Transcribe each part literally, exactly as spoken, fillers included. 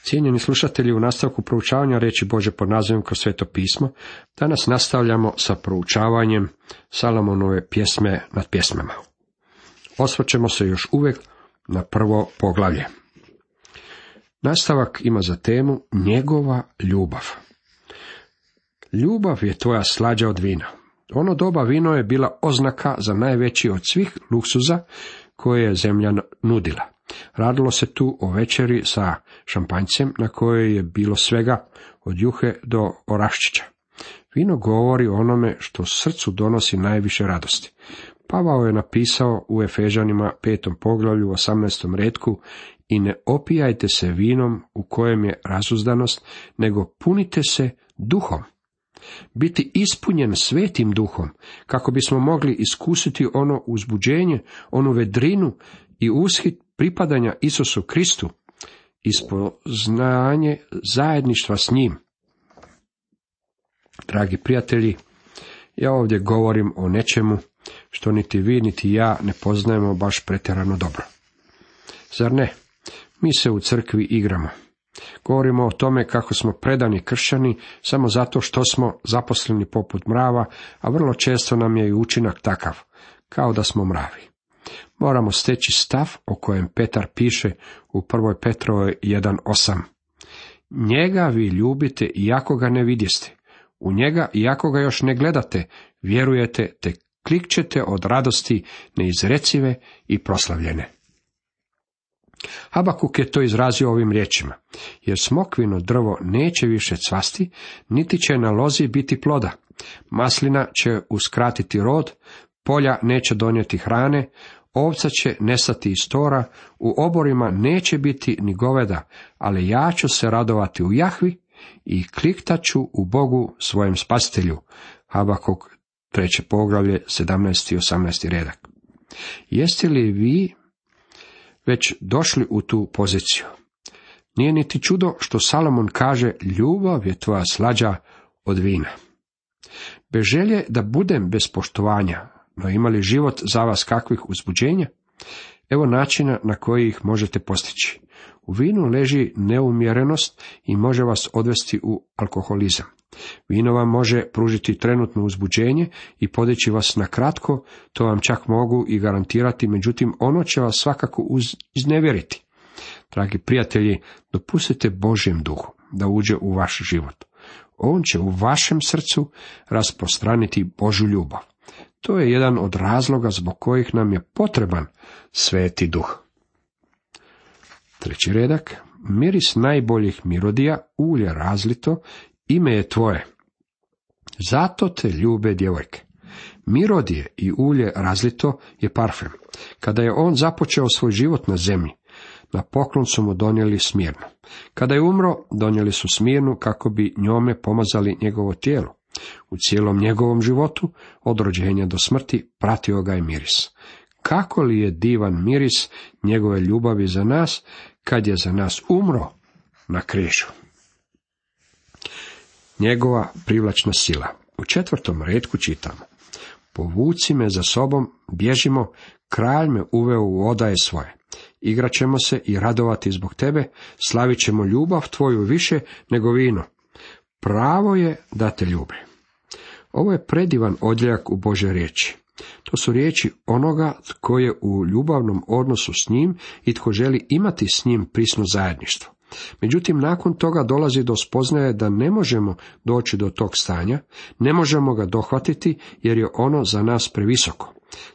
Cijenjeni slušatelji, u nastavku proučavanja riječi Bože pod nazivom Kroz Sveto pismo, danas nastavljamo sa proučavanjem Salomonove pjesme nad pjesmama. Osvrćemo se još uvijek na prvo poglavlje. Nastavak ima za temu njegova ljubav. Ljubav je tvoja slađa od vina. Ono doba vino je bila oznaka za najveći od svih luksuza koje je zemlja nudila. Radilo se tu o večeri sa šampanjcem na kojoj je bilo svega od juhe do oraščića. Vino govori o onome što srcu donosi najviše radosti. Pavao je napisao u Efežanima petom poglavlju osamnaestom retku: i ne opijajte se vinom u kojem je razuzdanost, nego punite se duhom. Biti ispunjen svetim duhom, kako bismo mogli iskusiti ono uzbuđenje, onu vedrinu i ushit pripadanja Isusu Kristu, ispoznanje zajedništva s njim. Dragi prijatelji, ja ovdje govorim o nečemu što niti vi niti ja ne poznajemo baš pretjerano dobro. Zar ne? Mi se u crkvi igramo. Govorimo o tome kako smo predani kršćani samo zato što smo zaposleni poput mrava, a vrlo često nam je i učinak takav, kao da smo mravi. Moramo steći stav o kojem Petar piše u prvoj Petrovoj jedan osam. Njega vi ljubite iako ga ne vidjeste. U njega iako ga još ne gledate, vjerujete te klikćete od radosti neizrecive i proslavljene. Habakuk je to izrazio ovim riječima: jer smokvino drvo neće više cvasti, niti će na lozi biti ploda. Maslina će uskratiti rod, polja neće donijeti hrane, ovca će nestati iz tora, u oborima neće biti ni goveda, ali ja ću se radovati u Jahvi i kliktaću u Bogu svojem spasitelju. Habakuk treće poglavlje, sedamnaesti i osamnaesti redak. Jeste li vi već došli u tu poziciju? Nije niti čudo što Salomon kaže: ljubav je tvoja slađa od vina. Bez želje da budem bez poštovanja, no ima li život za vas kakvih uzbuđenja? Evo načina na koji ih možete postići. U vinu leži neumjerenost i može vas odvesti u alkoholizam. Vino vam može pružiti trenutno uzbuđenje i podići vas na kratko, to vam čak mogu i garantirati, međutim ono će vas svakako iznevjeriti. Dragi prijatelji, dopustite Božjem duhu da uđe u vaš život. On će u vašem srcu rasprostraniti Božju ljubav. To je jedan od razloga zbog kojih nam je potreban Sveti duh. Treći redak. Miris najboljih mirodija, ulje razlito, ime je tvoje. Zato te ljube djevojke. Mirodije i ulje razlito je parfem. Kada je on započeo svoj život na zemlji, na poklon su mu donijeli smirnu. Kada je umro, donijeli su smirnu kako bi njome pomazali njegovo tijelo. U cijelom njegovom životu, od rođenja do smrti, pratio ga je miris. Kako li je divan miris njegove ljubavi za nas, kad je za nas umro na križu. Njegova privlačna sila. U četvrtom retku čitamo: povuci me za sobom, bježimo, kralj me uveo u odaje svoje. Igraćemo se i radovati zbog tebe, slavit ćemo ljubav tvoju više nego vino. Pravo je da te ljube. Ovo je predivan odjeljak u Božoj riječi. To su riječi onoga tko je u ljubavnom odnosu s njim i tko želi imati s njim prisno zajedništvo. Međutim, nakon toga dolazi do spoznaje da ne možemo doći do tog stanja, ne možemo ga dohvatiti jer je ono za nas previsoko.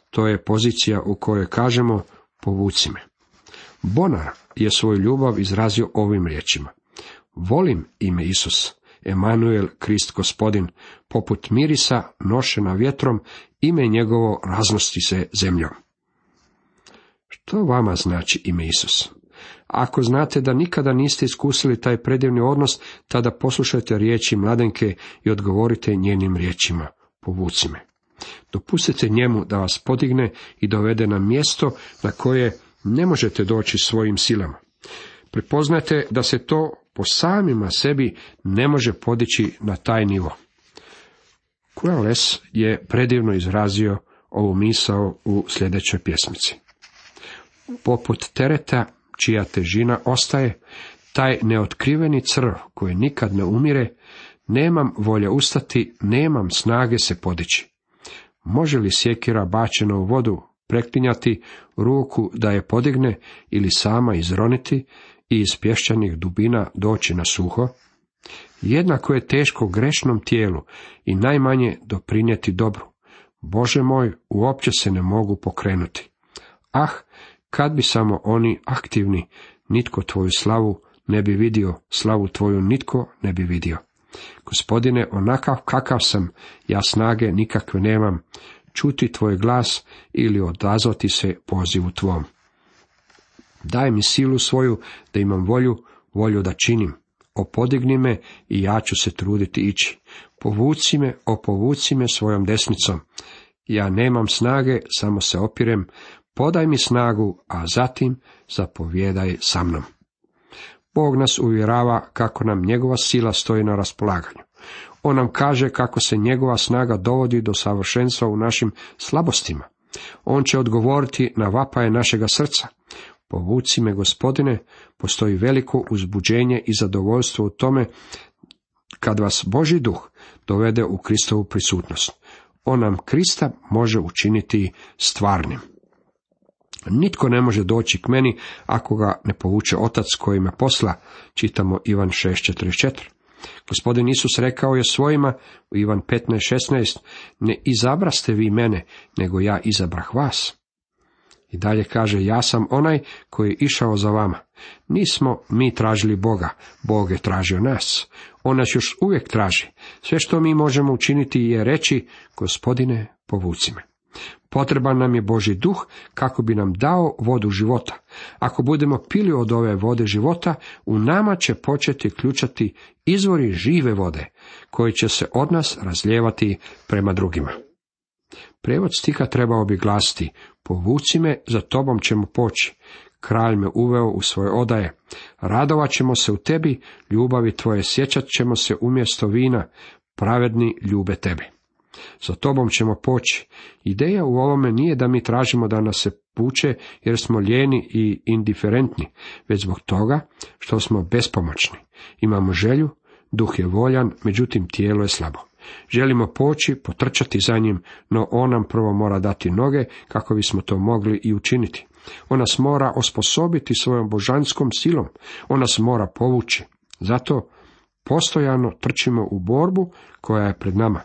To je pozicija u kojoj kažemo: povuci me. Bonar je svoju ljubav izrazio ovim riječima: volim ime Isus, Emanuel, Krist Gospodin, poput mirisa nošena vjetrom, ime njegovo raznosti se zemljom. Što vama znači ime Isus? Ako znate da nikada niste iskusili taj predivni odnos, tada poslušajte riječi mladenke i odgovorite njenim riječima: povuci me. Dopustite njemu da vas podigne i dovede na mjesto na koje ne možete doći svojim silama. Prepoznajte da se to po samima sebi ne može podići na taj nivo. Quelles je predivno izrazio ovu misao u sljedećoj pjesmici: poput tereta čija težina ostaje, taj neotkriveni crv koji nikad ne umire, nemam volje ustati, nemam snage se podići. Može li sjekira bačena u vodu preklinjati ruku da je podigne ili sama izroniti i iz pješčanih dubina doći na suho? Jednako je teško grešnom tijelu i najmanje doprinijeti dobru. Bože moj, uopće se ne mogu pokrenuti. Ah, kad bi samo oni aktivni, nitko tvoju slavu ne bi vidio, slavu tvoju nitko ne bi vidio. Gospodine, onakav kakav sam, ja snage nikakve nemam, čuti tvoj glas ili odazvati se pozivu tvom. Daj mi silu svoju da imam volju, volju da činim. Opodigni me i ja ću se truditi ići. Povuci me, opovuci me svojom desnicom. Ja nemam snage, samo se opirem. Podaj mi snagu, a zatim zapovjedaj sa mnom. Bog nas uvjerava kako nam njegova sila stoji na raspolaganju. On nam kaže kako se njegova snaga dovodi do savršenstva u našim slabostima. On će odgovoriti na vapaje našega srca. Povuci me, Gospodine, postoji veliko uzbuđenje i zadovoljstvo u tome kad vas Božji duh dovede u Kristovu prisutnost. On nam Krista može učiniti stvarnim. Nitko ne može doći k meni ako ga ne povuče Otac koji me posla, čitamo Ivan šest četrdeset četiri. Gospodin Isus rekao je svojima u Ivan petnaest šesnaest, ne izabraste vi mene, nego ja izabrah vas. I dalje kaže, ja sam onaj koji je išao za vama. Nismo mi tražili Boga, Bog je tražio nas. On nas još uvijek traži. Sve što mi možemo učiniti je reći, Gospodine, povuci me. Potreban nam je Božji duh kako bi nam dao vodu života. Ako budemo pili od ove vode života, u nama će početi ključati izvori žive vode, koji će se od nas razlijevati prema drugima. Prijevod stiha trebao bi glasiti, povuci me, za tobom ćemo poći. Kralj me uveo u svoje odaje. Radovat ćemo se u tebi, ljubavi tvoje sjećat ćemo se umjesto vina, pravedni ljube tebe. Za tobom ćemo poći. Ideja u ovome nije da mi tražimo da nas se vuče jer smo lijeni i indiferentni, već zbog toga što smo bespomoćni. Imamo želju, duh je voljan, međutim tijelo je slabo. Želimo poći, potrčati za njim, no on nam prvo mora dati noge kako bismo to mogli i učiniti. On nas mora osposobiti svojom božanskom silom, on nas mora povući. Zato postojano trčimo u borbu koja je pred nama.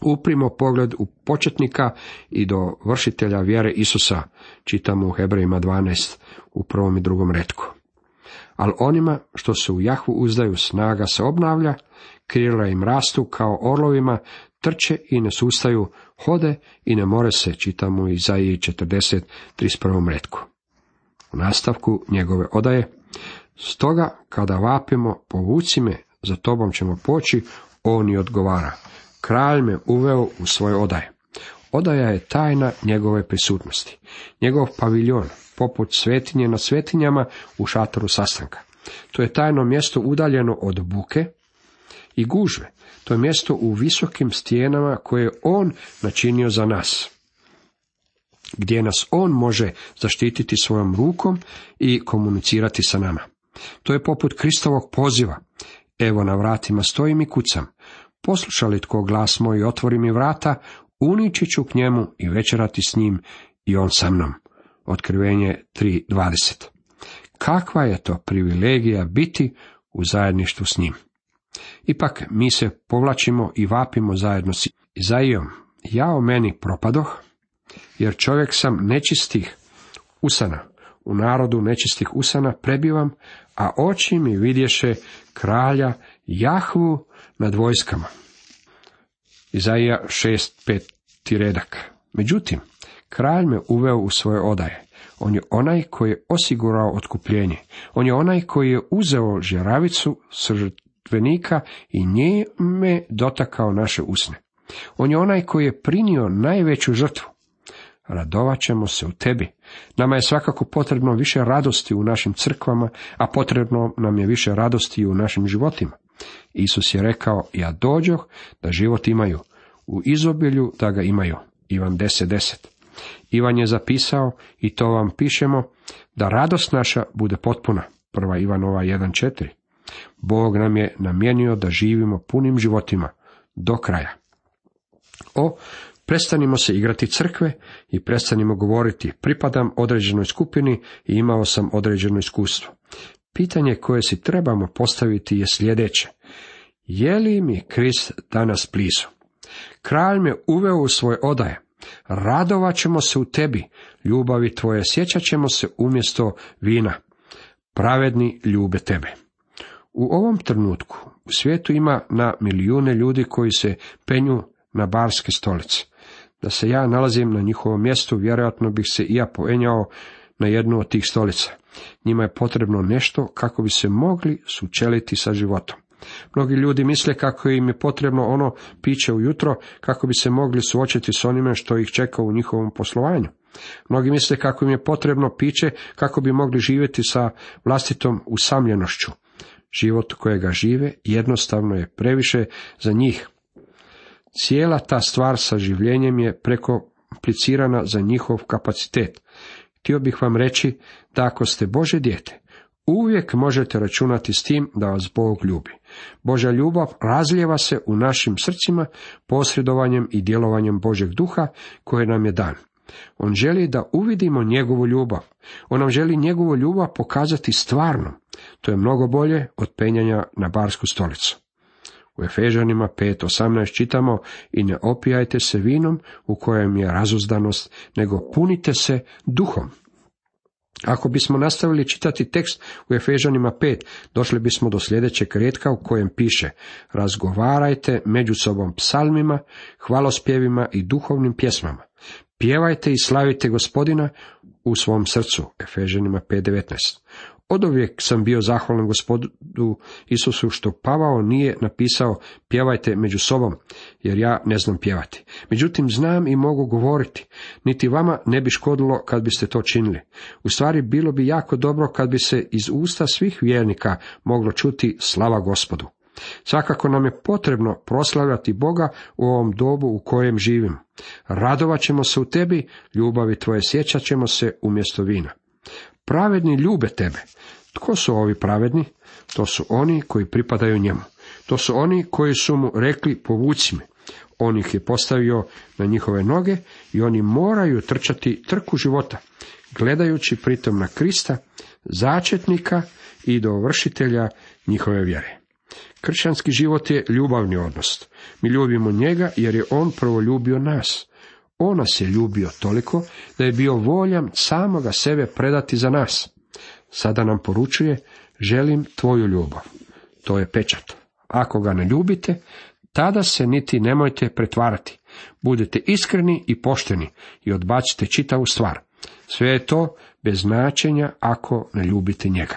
Uprimo pogled u početnika i do vršitelja vjere Isusa, čitamo u Hebrejima dvanaest u prvom i drugom retku. Ali onima što se u Jahvu uzdaju, snaga se obnavlja, krila im rastu kao orlovima, trče i ne sustaju, hode i ne more se, čitamo u Izaiji četrdeset trideset prvom retku. U nastavku njegove odaje, stoga kada vapimo, povuci me, za tobom ćemo poći, on i odgovara. Kralj me uveo u svoje odaje. Odaja je tajna njegove prisutnosti. Njegov paviljon, poput svetinje na svetinjama u šatoru sastanka. To je tajno mjesto udaljeno od buke i gužve. To je mjesto u visokim stijenama koje je on načinio za nas, gdje nas on može zaštititi svojom rukom i komunicirati sa nama. To je poput Kristovog poziva. Evo na vratima stojim i kucam. Posluša li tko glas moj i otvori mi vrata, unići ću k njemu i večerati s njim i on sa mnom. Otkrivenje tri dvadeset. Kakva je to privilegija biti u zajedništvu s njim. Ipak mi se povlačimo i vapimo zajedno s Izaijom. Ja o meni propadoh, jer čovjek sam nečistih usana. U narodu nečistih usana prebivam, a oči mi vidješe kralja Jahvu nad vojskama. Izaija šest peti redak. Međutim, kralj me uveo u svoje odaje. On je onaj koji je osigurao otkupljenje. On je onaj koji je uzeo žeravicu s žrtvenika i njime dotakao naše usne. On je onaj koji je prinio najveću žrtvu. Radovat ćemo se u tebi. Nama je svakako potrebno više radosti u našim crkvama, a potrebno nam je više radosti i u našim životima. Isus je rekao, ja dođoh da život imaju, u izobilju da ga imaju. Ivan deset deset. Ivan je zapisao, i to vam pišemo, da radost naša bude potpuna. Prva Ivanova jedan četiri. Bog nam je namijenio da živimo punim životima do kraja. O, prestanimo se igrati crkve i prestanimo govoriti pripadam određenoj skupini i imao sam određeno iskustvo. Pitanje koje si trebamo postaviti je sljedeće. Je li mi Krist danas blizu? Kralj me uveo u svoje odaje. Radovat ćemo se u tebi, ljubavi tvoje sjećat ćemo se umjesto vina. Pravedni ljube tebe. U ovom trenutku u svijetu ima na milijune ljudi koji se penju na barske stolice. Da se ja nalazim na njihovom mjestu, vjerojatno bih se i ja poenjao na jednu od tih stolica. Njima je potrebno nešto kako bi se mogli sučeliti sa životom. Mnogi ljudi misle kako im je potrebno ono piće ujutro kako bi se mogli suočiti s onime što ih čeka u njihovom poslovanju. Mnogi misle kako im je potrebno piće kako bi mogli živjeti sa vlastitom usamljenošću. Život kojega žive jednostavno je previše za njih. Cijela ta stvar sa življenjem je prekomplicirana za njihov kapacitet. Htio bih vam reći da ako ste Božje dijete, uvijek možete računati s tim da vas Bog ljubi. Božja ljubav razlijeva se u našim srcima posredovanjem i djelovanjem Božjeg duha koje nam je dan. On želi da uvidimo njegovu ljubav. On nam želi njegovu ljubav pokazati stvarno. To je mnogo bolje od penjanja na barsku stolicu. U Efežanima pet osamnaest čitamo i ne opijajte se vinom u kojem je razuzdanost, nego punite se duhom. Ako bismo nastavili čitati tekst u Efežanima pet, došli bismo do sljedećeg retka u kojem piše: razgovarajte među sobom psalmima, hvalospjevima i duhovnim pjesmama. Pjevajte i slavite Gospodina u svom srcu. Efežanima pet devetnaest. Oduvijek sam bio zahvalan Gospodu Isusu što Pavao nije napisao pjevajte među sobom, jer ja ne znam pjevati. Međutim, znam i mogu govoriti. Niti vama ne bi škodilo kad biste to činili. U stvari, bilo bi jako dobro kad bi se iz usta svih vjernika moglo čuti slava Gospodu. Svakako nam je potrebno proslavljati Boga u ovom dobu u kojem živimo. Radovat ćemo se u tebi, ljubavi tvoje sjećat ćemo se umjesto vina. Pravedni ljube tebe. Tko su ovi pravedni? To su oni koji pripadaju njemu. To su oni koji su mu rekli povuci me. On ih je postavio na njihove noge i oni moraju trčati trku života, gledajući pritom na Krista, začetnika i dovršitelja njihove vjere. Kršćanski život je ljubavni odnos. Mi ljubimo njega jer je on prvo ljubio nas. On nas je ljubio toliko da je bio voljan samoga sebe predati za nas. Sada nam poručuje, želim tvoju ljubav. To je pečat. Ako ga ne ljubite, tada se niti nemojte pretvarati. Budite iskreni i pošteni i odbacite čitavu stvar. Sve je to bez značenja ako ne ljubite njega.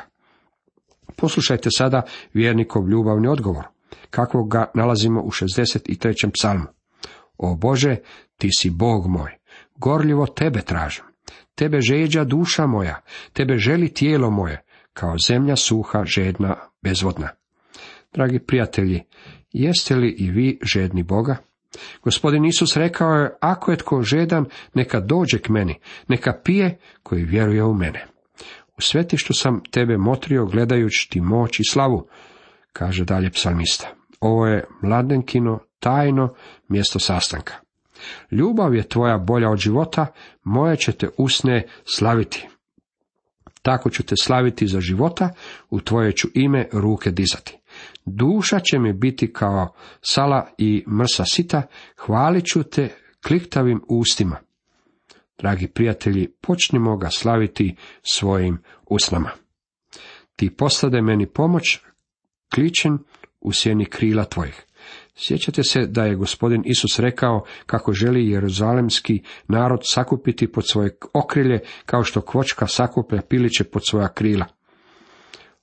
Poslušajte sada vjernikov ljubavni odgovor, kakvog ga nalazimo u šezdeset trećem psalmu. O Bože, ti si Bog moj, gorljivo tebe tražim. Tebe žeđa duša moja, tebe želi tijelo moje, kao zemlja suha, žedna, bezvodna. Dragi prijatelji, jeste li i vi žedni Boga? Gospodin Isus rekao je, ako je tko žedan, neka dođe k meni, neka pije koji vjeruje u mene. U svetištu sam tebe motrio gledajući ti moć i slavu, kaže dalje psalmista. Ovo je mladenkino, tajno mjesto sastanka. Ljubav je tvoja bolja od života, moje će te usne slaviti. Tako ću te slaviti za života, u tvoje ću ime ruke dizati. Duša će mi biti kao sala i mrsa sita, hvalit ću te kliktavim ustima. Dragi prijatelji, počnimo ga slaviti svojim usnama. Ti postade meni pomoć, kličem u sjeni krila tvojih. Sjećate se da je Gospodin Isus rekao kako želi jeruzalemski narod sakupiti pod svoje okrilje, kao što kvočka sakuplja piliće pod svoja krila.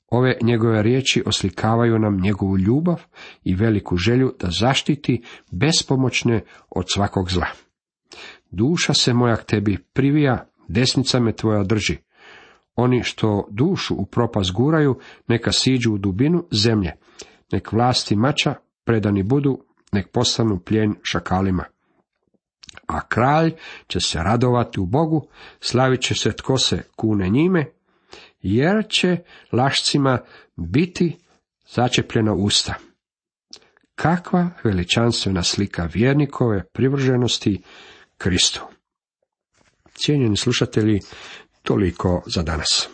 Ove njegove riječi oslikavaju nam njegovu ljubav i veliku želju da zaštiti bespomoćne od svakog zla. Duša se moja k tebi privija, desnica me tvoja drži. Oni što dušu u propast guraju, neka siđu u dubinu zemlje. Nek vlasti mača predani budu, nek postanu plijen šakalima. A kralj će se radovati u Bogu, slavit će se tko se kune njime, jer će lašcima biti začepljena usta. Kakva veličanstvena slika vjernikove privrženosti Kristu. Cijenjeni slušatelji, toliko za danas.